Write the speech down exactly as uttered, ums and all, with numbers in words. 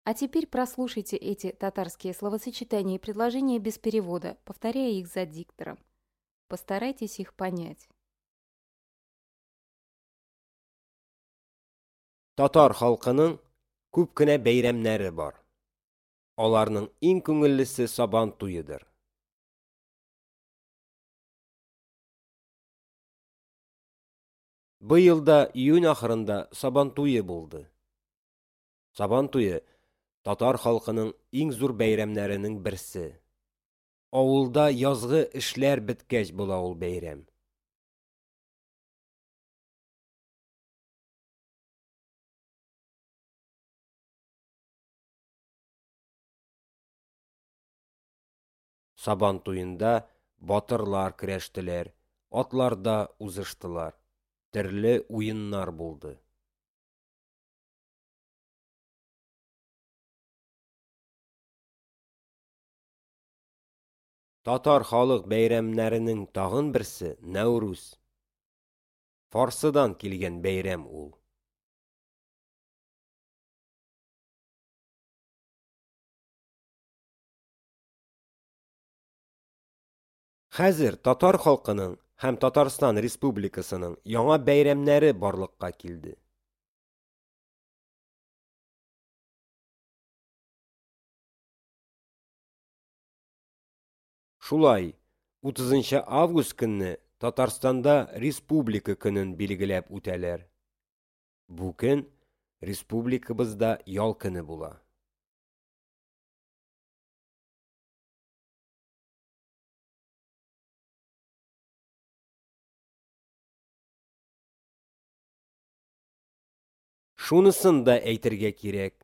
А теперь прослушайте эти татарские словосочетания и предложения без перевода, повторяя их за диктором. Постарайтесь их понять. Татар халкының күп кенә бәйрәмнәре бар. Аларның иң күңеллесе Сабан туедыр. Быел да июнь ахырында Сабан туе булды. Сабан туе татар халкының иң зур бәйрәмнәренең берсе. Авылда язгы эшләр беткәч була ул бәйрәм. Сабан туенда батырлар көрәштеләр, атларда узыштылар, төрле уеннар булды. Татар халык бәйрәмнәренең тагын берсе Нәүрүз. Фарсыдан килгән бәйрәм ул. Хәзер татар халкының һәм Татарстан Республикасының яңа бәйрәмнәре барлыкка килде. Шулай, утызынчы август көнне Татарстанда Республика көнен билгеләп үтәләр. Бу көн республикабызда ял көне була. Шунысын да әйтергә кирәк,